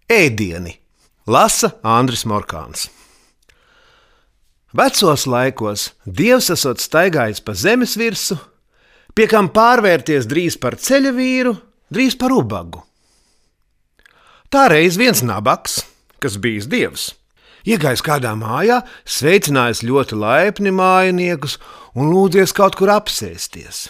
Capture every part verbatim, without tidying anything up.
Ēdieni lasa Andris Morkāns. Vecos laikos Dievs esot staigājis pa zemes virsu, pie kam pārvērties drīz par ceļa vīru, drīz par ubagu. Tā reiz viens nabaks, kas bijis Dievs, iegājis kādā mājā, sveicinājis ļoti laipni mājiniekus un lūdzies kaut kur apsēsties.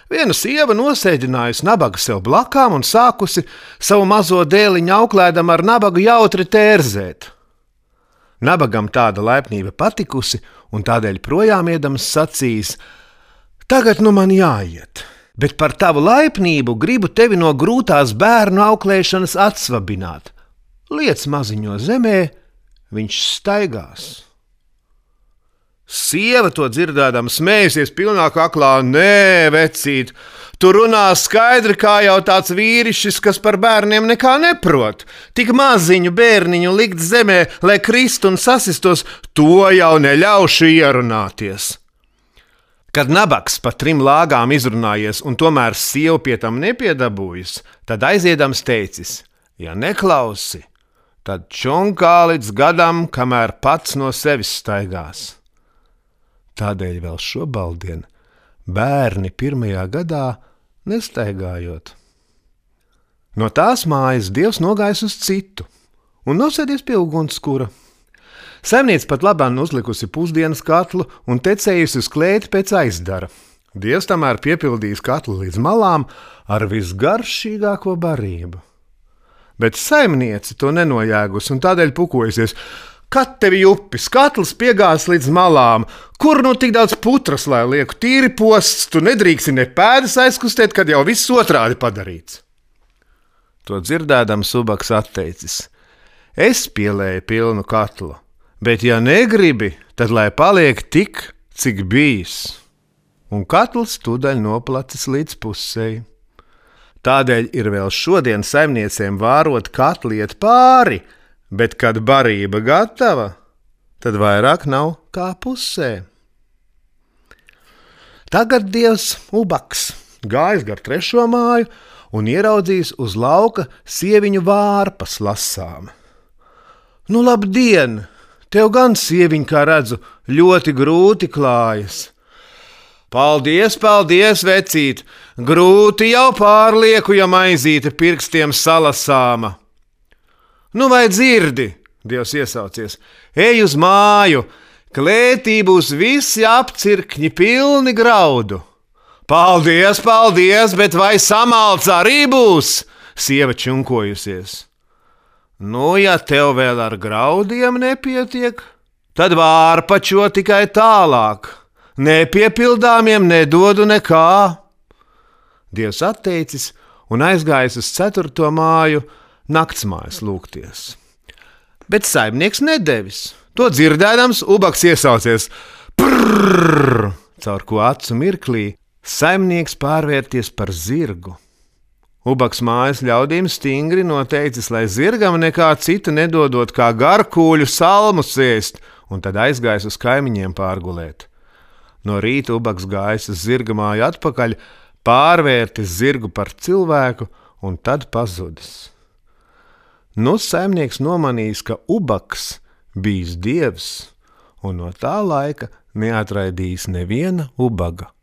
Viena sieva nosēdinājusi nabagu sev blakām un sākusi savu mazo dēliņu auklēdam ar nabagu jautri tērzēt. Nabagam tāda laipnība patikusi, un tādēļ projām iedams sacījis: tagad nu man jāiet, bet par tavu laipnību gribu tevi no grūtās bērnu auklēšanas atsvabināt. Liec maziņo zemē, viņš staigās. Sieva to dzirdēdama smējusies pilnā kaklā: nē, vecīt, tu runā skaidri kā jau tāds vīrišķis, kas par bērniem nekā neprot. Tik maziņu bērniņu likt zemē, lai krist un sasistos, to jau neļaušu ierunāties. Kad nabaks pa trim lāgām izrunājies un tomēr sieva pie tam nepiedabūjas, tad aiziedams teicis: ja neklausi, tad čonkā līdz gadam, kamēr pats no sevis staigās. Tādēļ vēl šobaldien bērni pirmajā gadā nestaigājot. No tās mājas Dievs nogājis uz citu un nosēdies pie ugunskura. Saimniece pat labāk uzlikusi pusdienas katlu un tecējusi uz klēti pēc aizdara. Dievs tamēr piepildījis katlu līdz malām ar visgaršīgāko barību. Bet saimniece to nenojēgus un tādēļ pukojusies: kad tevi upis, katls piegās līdz malām, kur nu tik daudz putras, lai lieku tīri posts, tu nedrīksti ne pēdas aizkustēt, kad jau viss otrādi padarīts. To dzirdēdams ubaks atteicis: es pielēju pilnu katlu, bet ja negribi, tad lai paliek tik, cik bijis. Un katls tūdaļ noplacis līdz pusei. Tādēļ ir vēl šodien saimniecēm vārot katli iet pāri, bet kad barība gatava, tad vairāk nav kā pusē. Tagad Dievs ubaks gājis gar trešo māju un ieraudzījis uz lauka sieviņu vārpas lasām. Nu labdien, tev gan, sieviņ, kā redzu, ļoti grūti klājas. Paldies, paldies, vecīt, grūti jau pārlieku, ja maizīte pirkstiem salasāma. Nu vai dzirdi, Dievs iesaucies, ej uz māju, klētī būs visi apcirkņi pilni graudu. Paldies, paldies, bet vai samalts arī būs, sieva čunkojusies. Nu, ja tev vēl ar graudiem nepietiek, tad vārpačo tikai tālāk, nepiepildāmiem nedodu nekā. Dievs atteicis un aizgājis uz ceturto māju, naktsmājas lūgties. Bet saimnieks nedevis. To dzirdēdams, ubaks iesaucies: prrrr, caur ko acu mirklī saimnieks pārvērties par zirgu. Ubaks mājas ļaudīm stingri noteicis, lai zirgam nekā cita nedodot kā garkūļu salmu sēst, un tad aizgājis uz kaimiņiem pārgulēt. No rīta ubaks gājis uz zirga māju atpakaļ, pārvērtis zirgu par cilvēku un tad pazudis. Nu saimnieks nomanījis, ka ubaks bijis Dievs, un no tā laika neatraidījis neviena ubaga.